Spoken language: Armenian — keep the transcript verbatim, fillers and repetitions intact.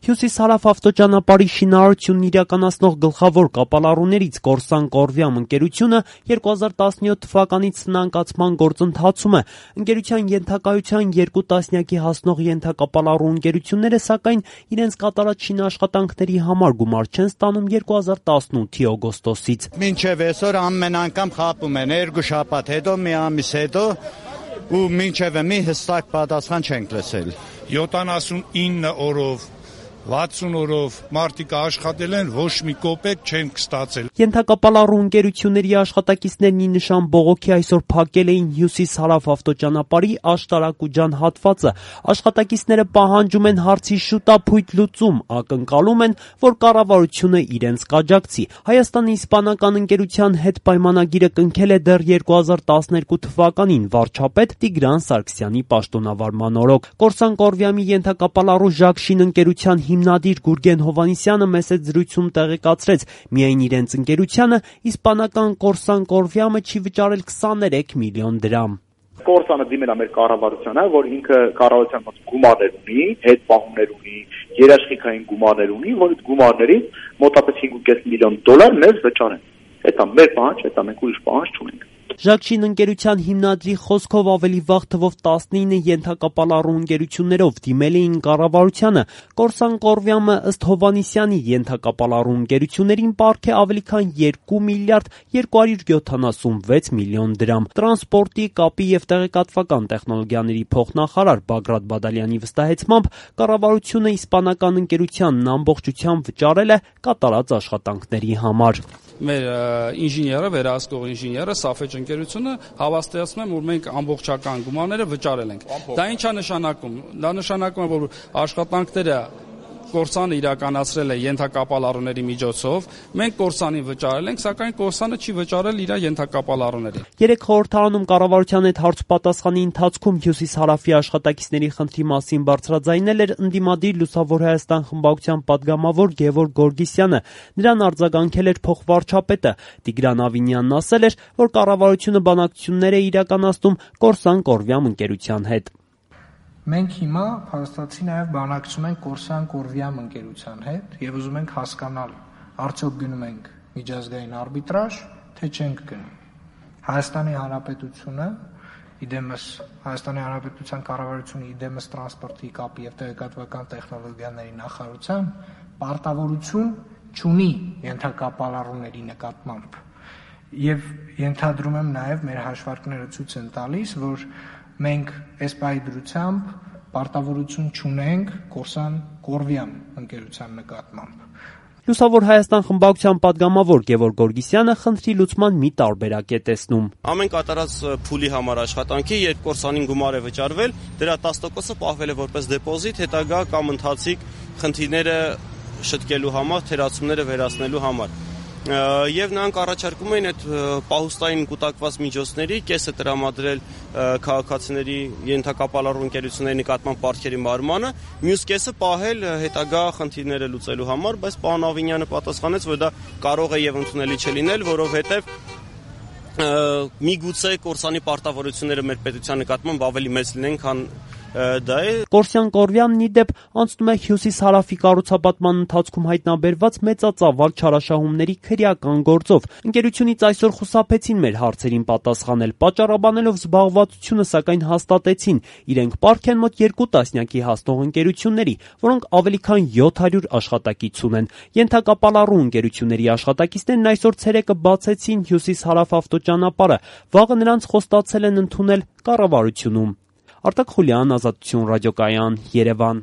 Հյուսիս-հարավ ավտոճանապարհի շինարարությունն իրականացնող գլխավոր կապալառուներից Կորսան Կորվիամ ընկերությունը երկու հազար տասնյոթ թվականից սնանկացման գործընթացում է։ Ընկերության ենթակայության երկու տասնյակի հասնող ենթակապալառու ընկերությունները, սակայն, իրենց կատարած շինաշխատանքների համար գումար չեն ստանում երկու հազար տասնութի օգոստոսից։ Մինչև այսօր ամեն անգամ խաբում են, երկու շաբաթ հետո, մի ամիս հետո, ու մինչև մի հստակ պատասխան չենք լսել։ յոթանասունինը օրով վաթսուն օրով մարդիկ աշխատել են, ոչ մի կոպեկ չեն ստացել։ Ենթակապալառու ընկերությունների աշխատակիցներն ի նշան բողոքի այսօր փակել էին հյուսիս-հարավ ավտոճանապարհի Աշտարակուջան հատվածը։ Աշխատակիցները պահանջում են հարցի շուտափույթ լուծում, ակնկալում են, որ կառավարությունը իրենց կաջակցի։ Հայաստանի իսպանական ընկերության հետ պայմանագիրը կնքել է դեռ երկու հազար տասներկու թվականին վարչապետ Տիգրան Սարգսյանի պաշտոնավարման օրոք։ Կորսան Կորվիամի ենթակապալառու Ժակշին ընկերության հիմնադիր Գուրգեն Հովհաննիսյանը մեծ զրույցում տեղեկացրեց, միայն իրենց ընկերությանը իսպանական Կորսան Կորվիամը չի վճարել քսաներեք միլիոն դրամ։ Կորսանը դիմել է մեր կառավարությանը, որ ինքը կառավարության մոտ գումարներ ունի, հետպահումներ ունի, երաշխիքային գումարներ ունի, որ այդ գումարներից մոտավորապես հինգ կես միլիոն դոլար մեզ վճարեն։ Դա մեր պահանջ, դա մենք ուրիշ պահանջ չունենք։ Ժակշին ընկերության հիմնադրի խոսքով ավելի վաղ թվով տասնինը ենթակապալառու ընկերություններով դիմել էին կառավարությանը։ Կորսան Կորվիամը ըստ Հովհաննիսյանի ենթակապալառու ընկերություններին պարգ է ավելի քան երկու միլիարդ երկու հարյուր յոթանասունվեց միլիոն դրամ։ Տրանսպորտի, կապի եւ տեղեկատվական տեխնոլոգիաների փոխնախարար Բագրատ Բադալյանի վստահեցմամբ կառավարությունը իսպանական ընկերությանն ամբողջությամբ վճարել է կատարած աշխատանքների համար։ Մեր ինժեները, վերահսկող ինժեները, Սաֆեջ ընկերությունը հավաստիացնում են, որ մենք ամբողջական գումարները վճարել ենք։ Դա ինչ է նշանակում։ Դա նշանակում է, որ աշխատանքները Կորսանը իրականացրել է ենթակապալառուների միջոցով, մենք Կորսանին վճարել ենք, սակայն Կորսանը չի վճարել իր ենթակապալառուներին։ Երեք խորհրդարանում կառավարության հետ հարցպատասխանի ընթացքում հյուսիս-հարավի աշխատակիցների խնդրի մասին բարձրաձայնել էր ընդդիմադիր Լուսավոր Հայաստան խմբակցության պատգամավոր Գևորգ Գորգիսյանը։ Նրան արձագանքել էր փոխվարչապետը։ Տիգրան Ավինյանն ասել էր, որ կառավարությունը բանակցություններ է իրականացնում Կորսան Կորվիամ ընկերության հետ։ Մենք հիմա փաստացի նաև բանակցում ենք Կորսան Կորվիամ ընկերության հետ եւ ուզում ենք հասկանալ, արդյոք գնում ենք միջազգային արբիտրաժ, թե չենք գնում։ Հայաստանի Հանրապետությունը իդեմս Հայաստանի Հանրապետության կառավարությունը իդեմս տրանսպորտի, կապի եւ տեղեկատվական տեխնոլոգիաների նախարարության պարտավորություն չունի ենթակապալառուների նկատմամբ։ Եվ ենթադրում եմ նաև մեր հաշվարկները ցույց են տալիս, որ մենք այս պահի դրությամբ պարտավորություն չունենք Կորսան Կորվիամ ընկերության նկատմամբ։ Լուսավոր Հայաստան խմբակցության պատգամավոր Գևորգ Գորգիսյանը խնդրի լուծման մի տարբերակ է տեսնում։ Ամեն կատարած փուլի համար աշխատանքի, երբ Կորսանին գումար է վճարվել, դրա տասը տոկոսը պահվել է որպես դեպոզիտ, հետագա կամ ընթացիկ խնդիրները շտկելու համար, թերացումները վերացնելու համար։ Եվ նրանք առաջարկում էին այդ պահուստային կուտակված միջոցների կեսը տրամադրել քաղաքացիների ենթակապալառու ընկերությունների նկատմամբ պարտքերի մարմանը, մյուս կեսը պահել հետագա խնդիրները լուծելու համար, բայց պարոն Ավինյանը պատասխանեց, որ դա կարող է եւ ընդունելի չլինել, որովհետեւ միգուցե Կորսանի պարտավորությունները մեր պետության նկատմամբ ավելի մեծ լինեն, քան դա է։ Կորսան Կորվիամն ի դեպ անցնում է հյուսիս-հարավի կառուցապատման ընթացքում հայտնաբերված մեծածավալ չարաշահումների քրեական գործով։ Ընկերությունից այսօր խուսափեցին մեր հարցերին պատասխանել, պատճառաբանելով զբաղվածությունը, սակայն հաստատեցին, իրենք պարգ են մոտ երկու տասնյակի հասնող ընկերությունների, որոնք ավելի քան յոթ հարյուր աշխատակից ունեն։ Ենթակապալառու ընկերությունների աշխատակիցներն այսօր ցերեկը բացեցին հյուսիս-հարավ ավտոճանապարհը, վաղը նրանց խոստացել են ընդունել կառավարությունում։ Արտակ Խուլյան, Ազատություն ռադիոկայան, Երևան։